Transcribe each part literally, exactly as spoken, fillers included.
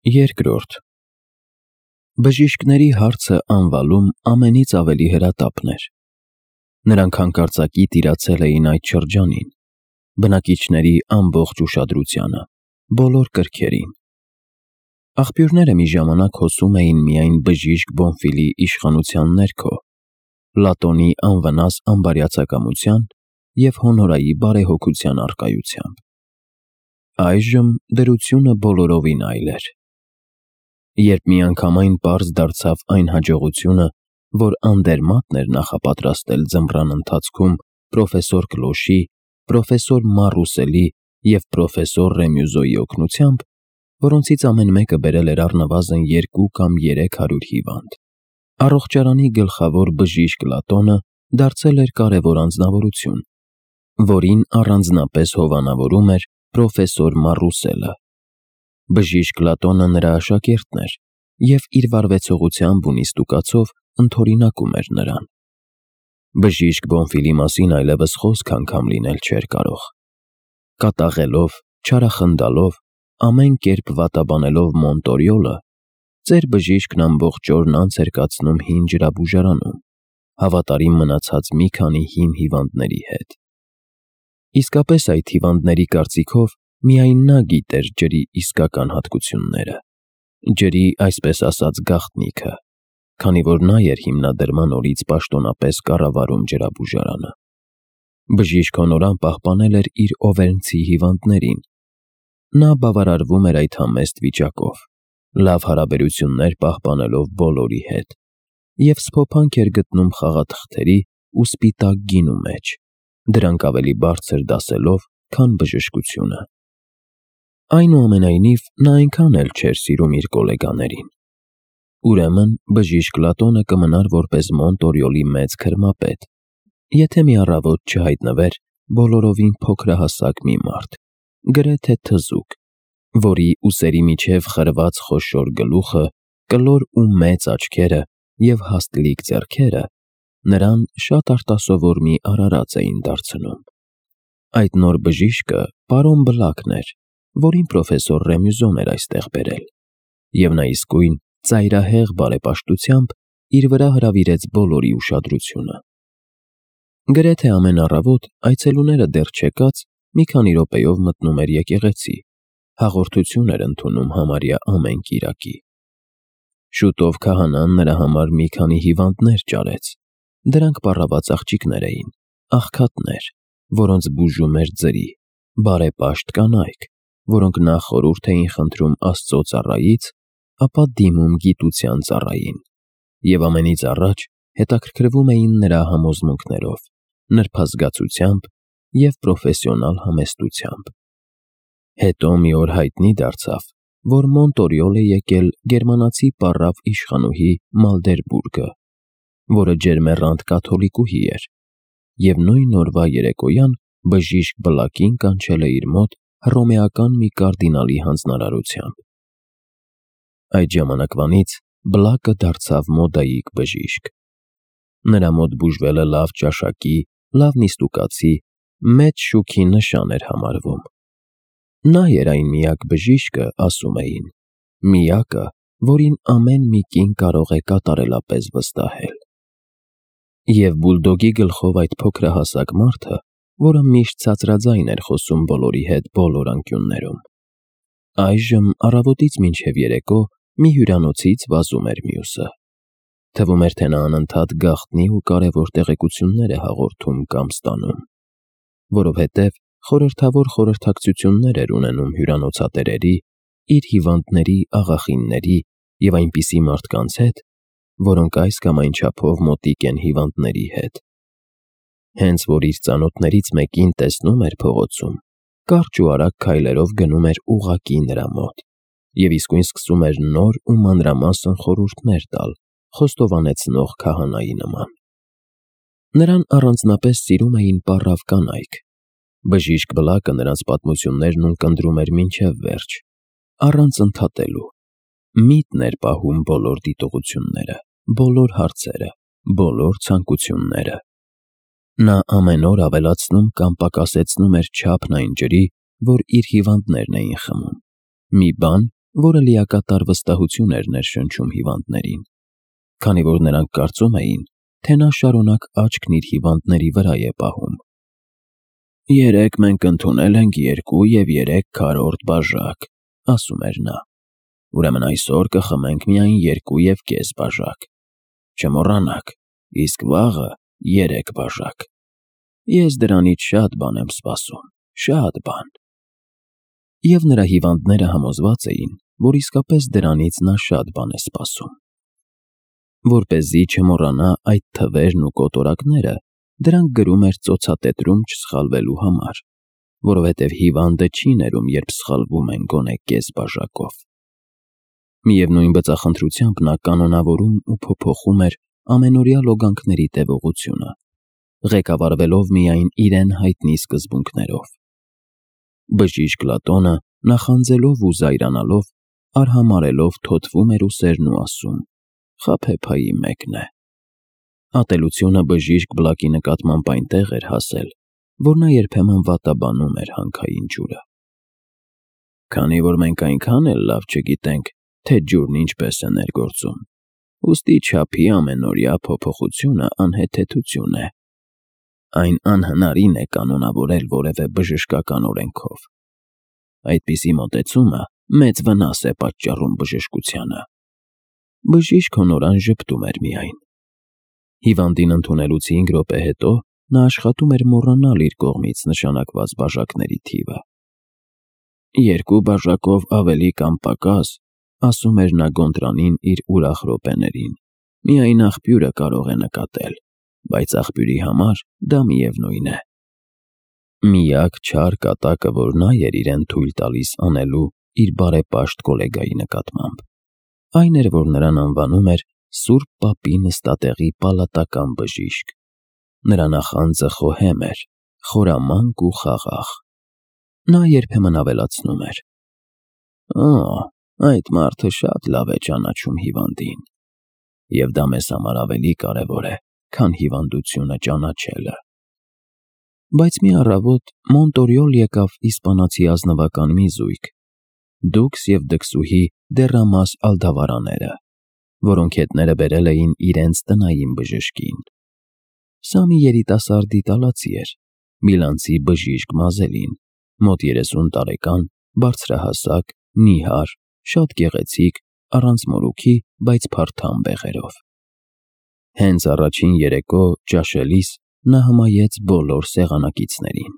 Երկրորդ Բժիշկների հարցը անվալում ամենից ավելի հրատապն էր։ Նրանք հանկարծակի տիրացել էին այդ շրջանին, բնակիչների ամբողջ ուշադրությանը, բոլոր կրքերին։ Աղբյուրները մի ժամանակ հոսում էին միայն բժիշկ Բոնֆիլի իշխանության ներքո, Լատոնի անվնաս ամբարյացակամության և հոնորայի բարեհոգության առկայությամբ։ Այժմ դրությունը բոլորովին այլ էր։ Երբ միանգամայն պարզ դարձավ այն հաջողությունը, որ Անդերմատն էր նախապատրաստել ձմռան ընթացքում պրոֆեսոր Կլոշի, պրոֆեսոր Մարուսելի և պրոֆեսոր Ռեմյուզոյի օգնությամբ, որոնցից ամեն մեկը բերել էր առնվազն երկու կամ երեք հարյուր հիվանդ, առողջարանի գլխավոր բժիշկ Լատոնը դարձել էր կարևոր անձնավորություն, որին առանձնապես հովանավորում էր պրոֆեսոր Մարուսելը։ Բժիշկ Լատոնը նրա աշակերտն էր և իր վարվեցողությամբ ու նիստուկացով ընդօրինակում էր նրան։ Բժիշկ Բոնֆիլի մասին այլևս խոսք անգամ լինել չէր կարող։ Կատաղելով, չարախնդալով, ամեն կերպ վատաբանելով Մոնտորիոլը, ծեր բժիշկն ամբողջ օրն անց էր կացնում հին ջրաբուժարանում, հավատարիմ մնացած մի քանի հին հիվանդների հետ։ Իսկապես այդ հիվանդների կարծիքով միայն նա գիտեր ջրի իսկական հատկությունները, ջրի այսպես ասած գաղտնիքը, քանի որ նա էր հիմնադրման օրից պաշտոնապես կառավարում ջրաբուժարանը։ Բժիշկ Հոնորան պահպանել էր իր Օվերնցի հիվանդներին։ Նա բավարարվում էր այդ համեստ վիճակով, լավ հարաբերություններ պահպանելով բոլորի հետ, և սփոփանք էր գտնում խաղաթղթերի ու սպիտակ գինու մեջ, դրանք ավելի բարձր դասելով, քան բժշկությունը։ Այնուամենայնիվ, նա այնքան էլ չէր սիրում իր գոլեգաներին։ Ուրեմն բժիշկ Լատոնը կմնար որպես Մոնտորիոլի մեծ քրմապետ, եթե մի առավոտ չհայտնվեր բոլորովին փոքրահասակ մի մարդ, գրեթե թզուկ, որի ուսերի միջև խրված խոշոր գլուխը, կլոր ու մեծ աչքերը և հաստլիկ ձեռքերը նրան շատ արտասովոր մի արարած էին դարձնում։ Այդ նոր բժիշկը պարոն Բլակն էր, որին պրոֆեսոր Ռեմյուզոն էր այստեղ բերել, և նա իսկույն ծայրահեղ բարեպաշտությամբ իր վրա հրավիրեց բոլորի ուշադրությունը։ Գրեթե ամեն առավոտ այցելուները դեռ չեկած մի քանի րոպեով մտնում էր եկեղեցի, հաղորդություն էր ընդունում համարյա ամեն կիրակի։ Շուտով քահանան նրա համար մի քանի հիվանդներ ճարեց։ Դրանք պառաված աղջիկներ էին, աղքատներ, որոնց բուժում էր ձրի, բարեպաշտ կանայք, որոնք նախ խորհուրդ էին խնդրում Աստծո ծառայից, ապա դիմում գիտության ծառային, և ամենից առաջ հետաքրքրվում էին նրա համոզմունքներով, նրբազգացությամբ և պրոֆեսիոնալ համեստությամբ։ Հետո մի օր հայտնի դարձավ, որ Մոնտորիոլ է եկել գերմանացի պառավ իշխանուհի Մալդերբուրգը, որը ջերմեռանդ կաթոլիկուհի էր, և նույն օրվա երեկոյան բժիշկ Բլակին կանչել է իր մոտ հռոմեական մի կարդինալի հանձնարարությամբ։ Այդ ժամանակվանից Բլակը դարձավ մոդայիկ բժիշկ։ Նրա մոտ բուժվելը լավ ճաշակի, լավ նիստուկացի, մեծ շուքի նշան էր համարվում։ Նա էր այն միակ բժիշկը, ասում էին, միակը, որին ամեն մի կին կարող է կատարելապես վստահել։ Եվ բուլդոգի գլխով այդ փոքրահասակ մարդը, որը միշտ ցածրաձայն էր խոսում բոլորի հետ բոլոր անկյուններում, այժմ առավոտից մինչև երեկո մի հյուրանոցից վազում էր մյուսը։ Թվում էր, թե նա անընդհատ գաղտնի ու կարևոր տեղեկություններ է հաղորդում կամ ստանում, որովհետև խորհրդավոր խորհրդակցություններ էր ունենում հյուրանոցատերերի, իր հիվանդների, աղախինների և այնպիսի մարդկանց հետ, որոնք այս կամ այն չափով մոտիկ են հիվանդների հետ։ Հենց որ իր ծանոթներից մեկին տեսնում էր փողոցում, կարճ ու արագ քայլերով գնում էր ուղղակի նրա մոտ և իսկույն սկսում էր նոր ու մանրամասն խորհուրդներ տալ խոստովանեցնող քահանայի նման։ Նրան առանձնապես սիրում էին պառավ կանայք։ Բժիշկ Բլակը նրանց պատմություններն ունկնդրում էր մինչև վերջ, առանց ընդհատելու, միտն էր պահում բոլոր դիտողությունները, բոլոր հարցերը, բոլոր ցանկությունները։ Նա ամեն օր ավելացնում կամ պակասեցնում էր չափն այն ջրի, որ իր հիվանդներն էին խմում, մի բան, որը լիակատար վստահություն էր ներշնչում հիվանդներին, քանի որ նրանք կարծում էին, թե նա շարունակ աչքն իր հիվանդների վրա է պահում։ «Երեկ մենք ընդունել ենք երկու և երեք քառորդ բաժակ», ասում էր նա, «ուրեմն այսօր կխմենք միայն երկու և կես բաժակ։ Չմոռանաք, իսկ վաղը երեք բաժակ։ Ես դրանից շատ բան եմ սպասում, շատ բան»։ Եվ նրա հիվանդները համոզված էին, որ իսկապես դրանից նա շատ բան է սպասում։ Որպեսզի չմոռանա այդ թվերն ու կոտորակները, դրանք գրում էր ծոցատետրում չսխալվելու համար, որովհետև հիվանդը չի ներում, երբ սխալվում են գոնե կես բաժակով։ Միևնույն բծախնդրությամբ նա կանոնավորում ու փոփոխում էր ամենօրյա լոգանքների տևողությունը, ղեկավարվելով միայն իրեն հայտնի սկզբունքներով։ Բժիշկ Լատոնը, նախանձելով ու զայրանալով, արհամարհելով թոթվում էր ուսերն ու ասում. «Խաբեբայի մեկն է»։ Ատելությունը բժիշկ Բլակի նկատմամբ այնտեղ էր հասել, որ նա երբեմն վատաբանում էր հանքային ջուրը։ «Քանի որ մենք այնքան էլ լավ չգիտենք, թե ջուրն ինչպես է ներգործում, ուստի չափի ամենօրյա փոփոխությունը անհեթեթություն է։ Այն անհնարին է կանոնավորել որևէ բժշկական օրենքով։ Այդպիսի մոտեցումը մեծ վնաս է պատճառում բժշկությանը»։ Բժիշկ Հոնորան ժպտում էր միայն։ Հիվանդին ընդունելուց հինգ րոպե հետո նա աշխատում էր մոռանալ իր կողմից նշանակված բաժակների թիվը։ «Երկու բաժակով ավելի կամ պակաս», ասում էր նա Գոնտրանին իր ուրախ րոպեներին, «միայն աղբյուրը կարող է նկատել, բայց աղբյուրի համար դա միևնույն է»։ Միակ չար կատակը, որ նա էր իրեն թույլ տալիս անելու իր բարեպաշտ գոլեգայի նկատմամբ, այն էր, որ նրան անվանում էր Սուրբ Պապի նստատեղի պալատական բժիշկ։ Նրա նախանձը խոհեմ էր, խորամանկ ու խաղաղ։ Նա երբեմն ավելացնում էր. «Օ, այդ մարդը շատ լավ է ճանաչում հիվանդին, և դա մեզ համար ավելի կարևոր է, քան հիվանդությունը ճանաչելը»։ Բայց մի առավոտ Մոնտորյոլ եկավ իսպանացի ազնվական մի զույգ՝ դուքս և դքսուհի Դեռամաս Ալդավարաները, որոնք հետները բերել էին իրենց տնային բժշկին։ Սա մի երիտասարդ իտալացի էր, միլանցի բժիշկ Մազելին, մոտ երեսուն տարեկան, բարձրահասակ, նիհար, շատ գեղեցիկ, առանց մորուքի, բայց փարթամ բեղերով։ Հենց առաջին երեկո ճաշելիս նա հմայեց բոլոր սեղանակիցներին։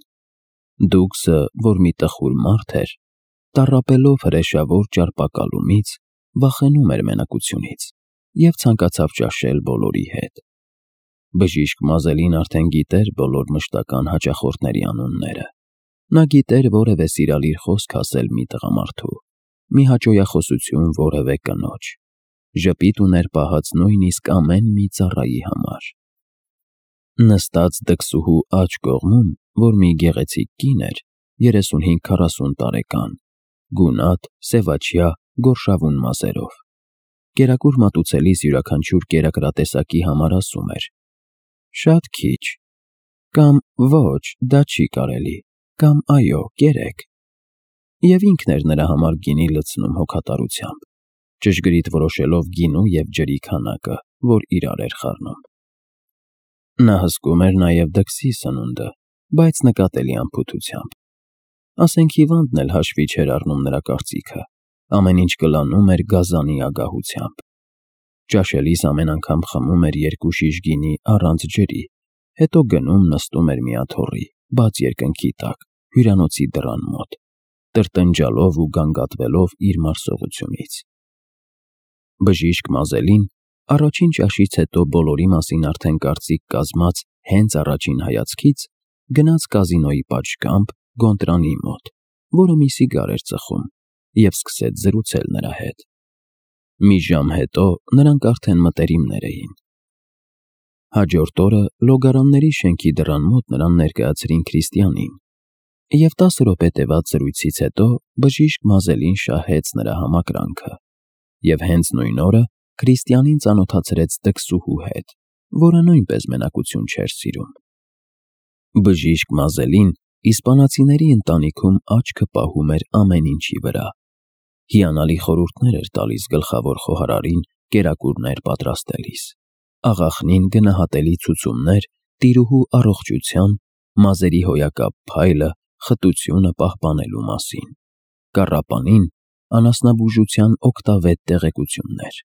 Դուքսը, որ մի տխուր մարդ էր, տառապելով հրեշավոր ճարպակալումից, վախենում էր մենակությունից և ցանկացավ ճաշել բոլորի հետ։ Բժիշկ Մազելին արդեն գիտեր բոլոր մշտական հաճախորդների անունները։ Նա գիտեր որևէ սիրալիր խոսք ասել մի տղամարդու, մի հաճոյախոսություն որևէ կնոջ, ժպիտ ուներ պահած նույնիսկ ամեն մի ծառայի համար։ Նստած դքսուհու աջ կողմում, որ մի գեղեցիկ կին էր, երեսունհինգ քառասուն տարեկան, գունատ, սևաչյա, գորշավուն մազերով, կերակուր մատուցելիս յուրաքանչյուր կերակրատեսակի համար ասում էր. «Շատ քիչ», կամ «Ոչ, դա չի կարելի», կամ «Այո, կերեք»։ Եվ ինքն էր նրա համար գինի լցնում հոգատարությամբ, ճշգրիտ որոշելով գինու և ջրի քանակը, որ իրար էր խառնում։ Նա հսկում էր նաև դքսի սնունդը, բայց նկատելի անփութությամբ։ Ասենք հիվանդն էլ հաշվի չէր առնում նրա կարծիքը, ամեն ինչ կլանում էր գազանի ագահությամբ։ Ճաշելիս ամեն անգամ խմում էր երկու շիշ գինի առանց ջրի, հետո գնում նստում էր մի աթոռի, բաց երկնքի տակ, հյուրանոցի դռան մոտ, տրտնջալով ու գանգատվելով իր մարսողությունից։ Բժիշկ Մազելին առաջին ճաշից հետո բոլորի մասին արդեն կարծիք կազմած հենց առաջին հայացքից գնաց կազինոյի պատշգամբ Գոնտրանի մոտ, որը մի սիգար էր ծխում, և սկսեց զրուցել նրա հետ։ Մի ժամ հետո նրանք արդեն մտերիմներ էին։ Հաջորդ օրը Լոգարանների շենքի դռան մոտ նրան ներկայացրին քրիստիանին, և տասը րոպե տևած զրույցից հետո բժիշկ Մազելին շահեց նրա համակրանքը, և հենց նույն օրը քրիստիանին ծանոթացրեց դքսուհու հետ, որը նույնպես մենակություն չէր սիրում։ Բժիշկ Մազելին իսպանացիների ընտանիքում աչքը պահում էր ամեն ինչի վրա։ Հիանալի խորհուրդներ էր տալիս գլխավոր խոհարարին կերակուրներ պատրաստելիս, աղախնին գնահատելի ցուցումներ տիրուհու առողջության, մազերի հոյակապ փայլը, խտությունը պահպանելու մասին, կառապանին անասնաբուժության օգտավետ տեղեկություններ։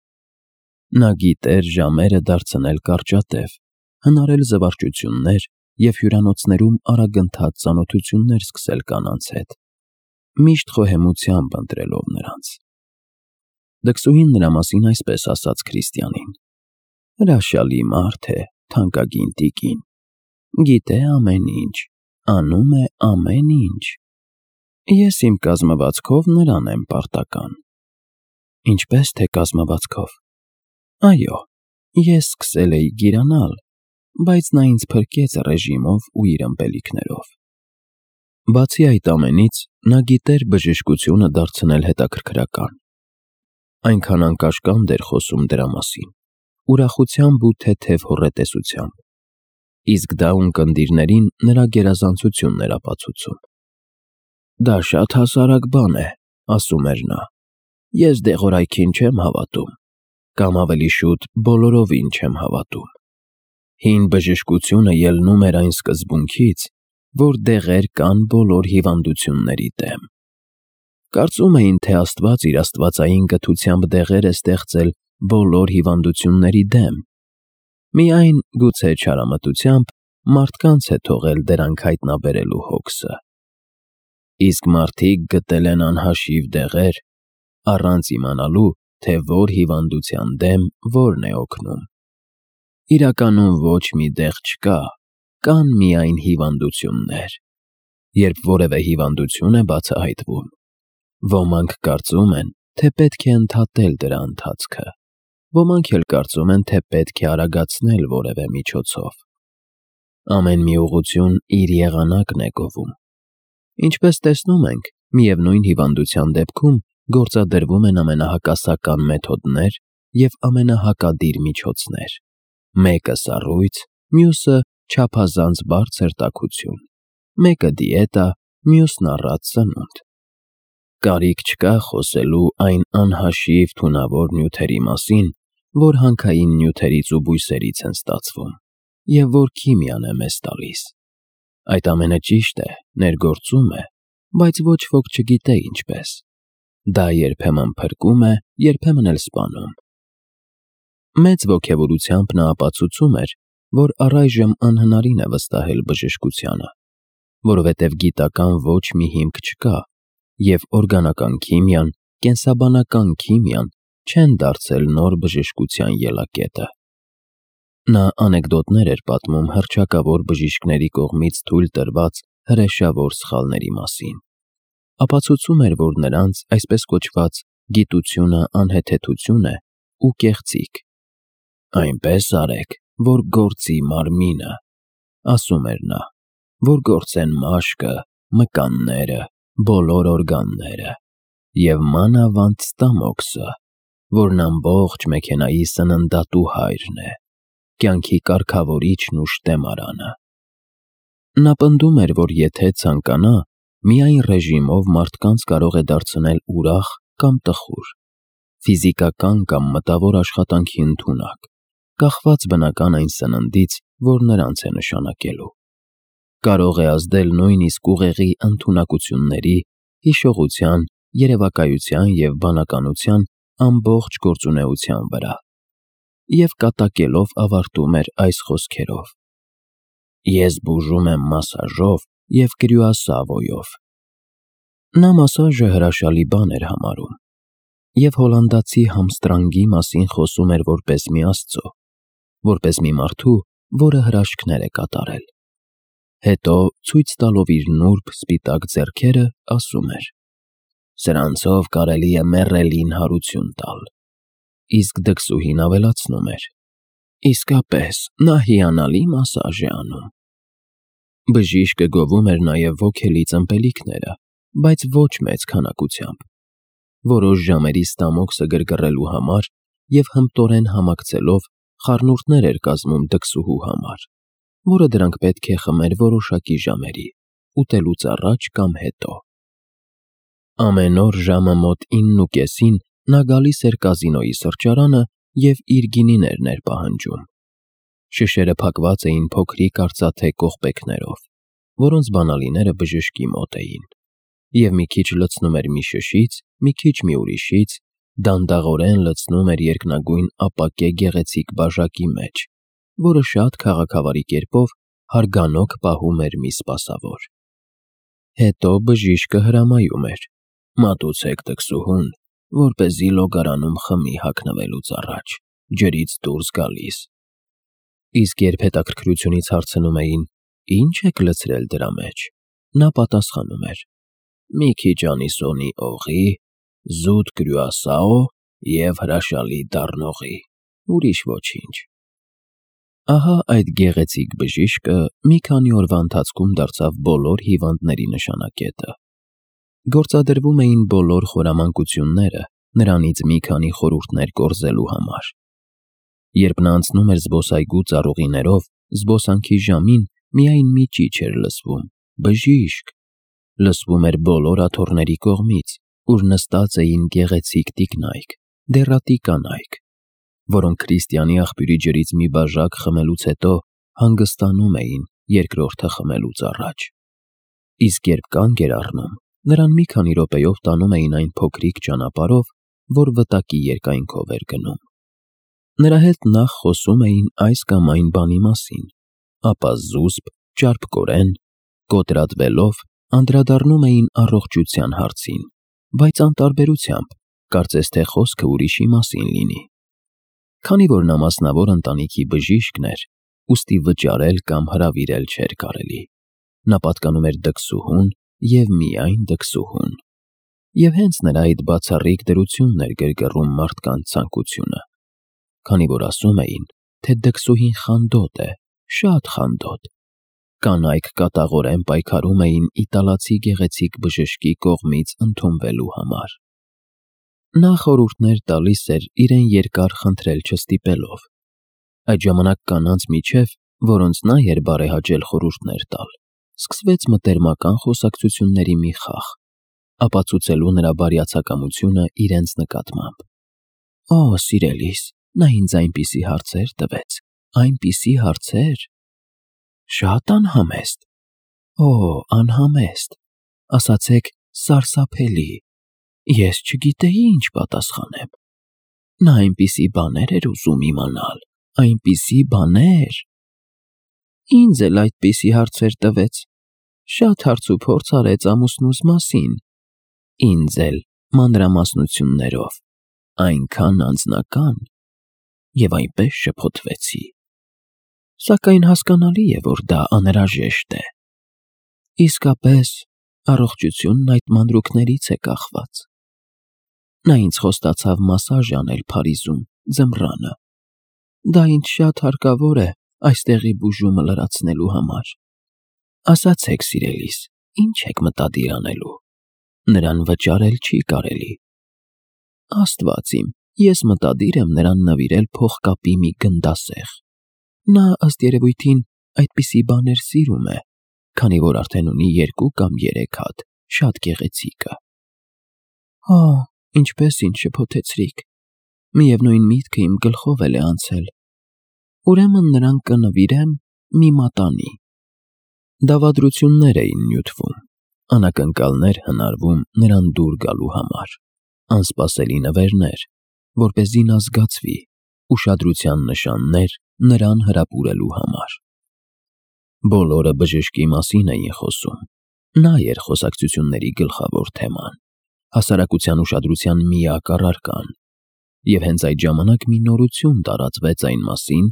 Նա գիտեր ժամերը դարձնել կարճատև, հնարել զվարճություններ և հյուրանոցներում արագընթաց ծանոթություններ սկսել կանանց հետ, միշտ խոհեմությամբ ընտրելով նրանց։ Դքսուհին նրա մասին այսպես ասաց Քրիստիանին. «Հրաշալի մարդ է, թանկագին տիկին, գիտե ամեն ինչ, անում է ամեն ինչ։ Ես իմ կազմվածքով նրան եմ պարտական»։ Ինչպե՞ս թե կազմվածքով։ Այո, ես սկսել էի գիրանալ, բայց նա ինձ փրկեց ռեժիմով ու իր ըմպելիքներով։ Բացի այդ ամենից, նա գիտեր բժշկությունը դարձնել հետաքրքրական։ Այնքան անկաշկանդ էր խոսում դրա մասին, ուրախությամբ ու թեթև հոռետեսությամբ, իսկ դա ունկնդիրներին նրա գերազանցությունն էր ապացուցում։ «Դա շատ հասարակ բան է», ասում էր նա, «ես դեղորայքին չեմ հավատում, կամ ավելի շուտ բոլորովին չեմ հավատում»։ Հին բժշկությունը ելնում էր այն սկզբունքից, որ դեղեր կան բոլոր հիվանդությունների դեմ։ Կարծում էին, թե Աստված իր աստվածային կթությամբ դեղեր է ստեղծել բոլոր հիվանդությունների դեմ, միայն, գուցե չարամտությամբ, մարդկանց է թողել դրանք հայտնաբերելու հոգսը։ Իսկ մարդիկ գտել են անհաշիվ դեղեր, առանց իմանալու, թե որ հիվանդության դեմ որն է օգնում։ Իրականում ոչ մի դեղ չկա, կան միայն հիվանդություններ։ Երբ որևէ հիվանդություն է բացահայտվում, ոմանք կարծում են, թե պետք է ընդհատել դրա ընթացքը, ոմանք էլ կարծում են, թե պետք է արագացնել որևէ միջոցով։ Ամեն մի ուղղություն իր եղանակն է գովում։ Ինչպես տեսնում ենք, միևնույն հիվանդության դեպքում գործադրվում են ամենահակասական մեթոդներ և ամենահակադիր միջոցներ։ Մեկը սառույց, մյուսը չափազանց բարձր տաքություն, մեկը դիետա, մյուսն առատ սնունդ։ Կարիք չկա խոսելու այն անհաշիվ թունավոր նյութերի մասին, որ հանքային նյութերից ու բույսերից են ստացվում, և որ քիմիան է մեզ տալիս։ Այդ ամենը ճիշտ է, ներգործում է, բայց ոչ ոք չգիտե ինչպես։ Դա երբեմն փրկում է, երբեմն էլ սպանում։ Մեծ ոգևորությամբ նա ապացուցում էր, որ առայժմ անհնարին է վստահել բժշկությանը, որովհետև գիտական ոչ մի հիմք չկա, և օրգանական քիմիան, կենսաբանական քիմիան չեն դարձել նոր բժշկության ելակետը։ Նա անեկդոտներ էր պատմում հռչակավոր բժիշկների կողմից թույլ տրված հրեշավոր սխալների մասին։ Ապացուցում էր, որ նրանց այսպես կոչված գիտությունը անհեթեթություն է ու կեղծիք։ «Այնպես արեք, որ գործի մարմինը», ասում էր նա, «որ գործեն մաշկը, մկանները, բոլոր օրգանները, և մանավանդ ստամոքսը, որն ամբողջ մեքենայի սննդատու հայրն է, կյանքի կարգավորիչն ու շտեմարանը»։ Նա պնդում էր, որ եթե ցանկանա, միայն ռեժիմով մարդկանց կարող է դարձնել ուրախ կամ տխուր, ֆիզիկական կամ մտավոր աշխատանքի ընդունակ, կախված բնական այն սննդից, որ նրանց է նշանակելու։ Կարող է ազդել նույնիսկ ուղեղի ընդունակությունների, հիշողության, երևակայության և բանականության ամբողջ գործունեության վրա։ Եվ կատակելով ավարտում էր այս խոսքերով. «Ես բուժում եմ մասաժով և կրյուասավոյով»։ Նա մասաժը հրաշալի բան էր համարում և հոլանդացի համստրանգի մասին խոսում էր որպես մի աստծո, որպես մի մարդու, որը հրաշքներ է կատարել։ Հետո, ցույց տալով իր նուրբ սպիտակ ձեռքերը, ասում էր. «Սրանցով կարելի է մեռելին հարություն տալ»։ Իսկ դքսուհին ավելացնում էր. «Իսկապես, նա հիանալի մասաժ է անում»։ Բժիշկը գովում էր նաև ոգելից ըմպելիքները, բայց ոչ մեծ քանակությամբ։ Որոշ ժամերի ստամոքսը գրգռելու համար և հմտորեն համակցելով խառնուրդներ էր կազմում դքսուհու համար, որը դրանք պետք է խմեր որոշակի ժամերի՝ ուտելուց առաջ կամ հետո։ Ամեն օր ժամը մոտ իննուկեսին նա գալիս էր կազինոյի սրճարանը և իր գինիներն էր պահանջում։ Շշերը փակված էին փոքրիկ արծաթե կողպեքներով, որոնց բանալիները բժշկի մոտ էին, և մի քիչ լցնում էր մի շշից, մի քիչ մի ուրիշից, դանդաղորեն լցնում էր երկնագույն ապակե գեղեցիկ բաժակի մեջ, որը շատ քաղաքավարի կերպով հարգանոք պահում էր մի սպասավոր։ Հետո բժիշկը հրամայում էր. «Մատուցեք տքսուհուն, որպեսզի լոգարանում խմի հագնվելուց առաջ, ջրից դուրս գալիս»։ Իսկ երբ հետաքրքրությունից հարցնում էին. «Ի՞նչ եք լցրել դրա մեջ», նա պատասխանում էր. «Մի քիչ անիսոնի օղի, զուտ կրյուասաո և հրաշալի դառնողի, ուրիշ ոչինչ»։ Ահա այդ գեղեցիկ բժիշկը մի քանի օրվա ընթացքում դարձավ բոլոր հիվանդների նշանակետը։ Գործադրվում էին բոլոր խորամանկությունները նրանից մի քանի խորհուրդներ կորզելու համար։ Երբ նա անցնում էր զբոսայգու ծառուղիներով, զբոսանքի ժամին միայն մի ճիչ էր լսվում. «Բժիշկ»։ Լսվում էր բոլոր աթոռների կողմից, ուր նստած էին գեղեցիկ տիկնայք, դեռատի կանայք, որոնք քրիստիանի աղբյուրի ջրից մի բաժակ խմելուց հետո հանգստանում էին երկրորդը խմելուց առաջ։ Իսկ երբ կանգ էր առնում, նրան մի քանի րոպեով տանում էին այն փոքրիկ ճանապարհով, որ վտակի երկայնքով էր գնում։ Նրա հետ նախ խոսում էին այս կամ այն բանի մասին, ապա զուսպ, ճարպկորեն, կոտրատվելով անդրադառնում էին առողջության հարցին, բայց անտարբերությամբ, կարծես թե խոսքը ուրիշի մասին լինի։ Քանի որ նա մասնավոր ընտանիքի բժիշկն էր, ուստի վճարել կամ հրավիրել չէր կարելի։ Նա պատկանում էր դքսուհուն և միայն դքսուհուն։ Եվ հենց նրա այդ բացառիկ դրությունն էր գրգռում մարդկանց ցանկությունը, քանի որ ասում էին, թե դքսուհին խանդոտ է, շատ խանդոտ։ Կանայք կատաղորեն պայքարում էին իտալացի գեղեցիկ բժշկի կողմից ընդունվելու համար։ Նա խորհուրդներ տալիս էր իրեն երկար խնդրել չստիպելով։ Այդ ժամանակ կանանց միջև, որոնց նա էր բարեհաճել խորհուրդներ տալ, սկսվեց մտերմական խոսակցությունների մի խաղ, ապացուցելու նրա բարյացակամությունը իրենց նկատմամբ։ «Օ, սիրելիս, նա ինձ այնպիսի հարցեր տվեց, այնպիսի հարցեր… Շատ անհամեստ… Օ, անհամեստ… Ասացեք, սարսափելի… Ես չգիտեի ինչ պատասխանեմ… Նա այնպիսի բաներ էր ուզում իմանալ, այնպիսի բաներ… Ինձ էլ այդպիսի հարցեր տվեց, շատ հարցուփորձ արեց ամուսնուս մասին, ինձ էլ մանրամասնություններով, այնքան անձնական… Եվ այնպես շփոթվեցի… Սակայն հասկանալի է, որ դա անհրաժեշտ է… Իսկապես, առողջությունն այդ մանրուքներից է կախված… Նա ինձ խոստացավ մասաժ անել Փարիզում, ձմռանը… Դա ինձ շատ հարկավոր է այստեղի բուժումը լրացնելու համար… Ասացեք, սիրելիս, ի՞նչ եք մտադիր անելու… Նրան վճարել չի կարելի… Աստված իմ, ես մտադիր եմ նրան նվիրել փողկապի մի գնդասեղ… Նա, ըստ երևույթին, այդպիսի բաներ սիրում է, քանի որ արդեն ունի երկու կամ երեք հատ, շատ գեղեցիկը… Օ, ինչպես ինձ շփոթեցրիք… Միևնույն միտքը իմ գլխով էլ է անցել… Ուրեմն նրան կնվիրեմ մի մատանի… Դավադրություններ էին նյութվում, անակնկալներ հնարվում նրան դուր գալու համար, անսպասելի նվերներ, որպեսզի նա զգացվի, ուշադրության նշաններ նրան հրապուրելու համար… Բոլորը բժշկի մասին էին խոսում, նա էր խոսակցությունների գլխավոր թեման, հասարակության ուշադրության միակ առարկան, և հենց այդ ժամանակ մի նորություն տարածվեց այն մասին,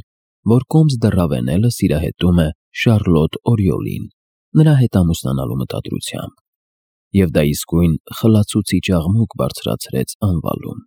որ կոմս դռավենելը սիրահետում է Շառլոտ Օրիոլին նրա հետ ամուսնանալու մտադրությամբ, և դա իսկույն խլացուցիչ աղմուկ բարձրացրեց անվալում։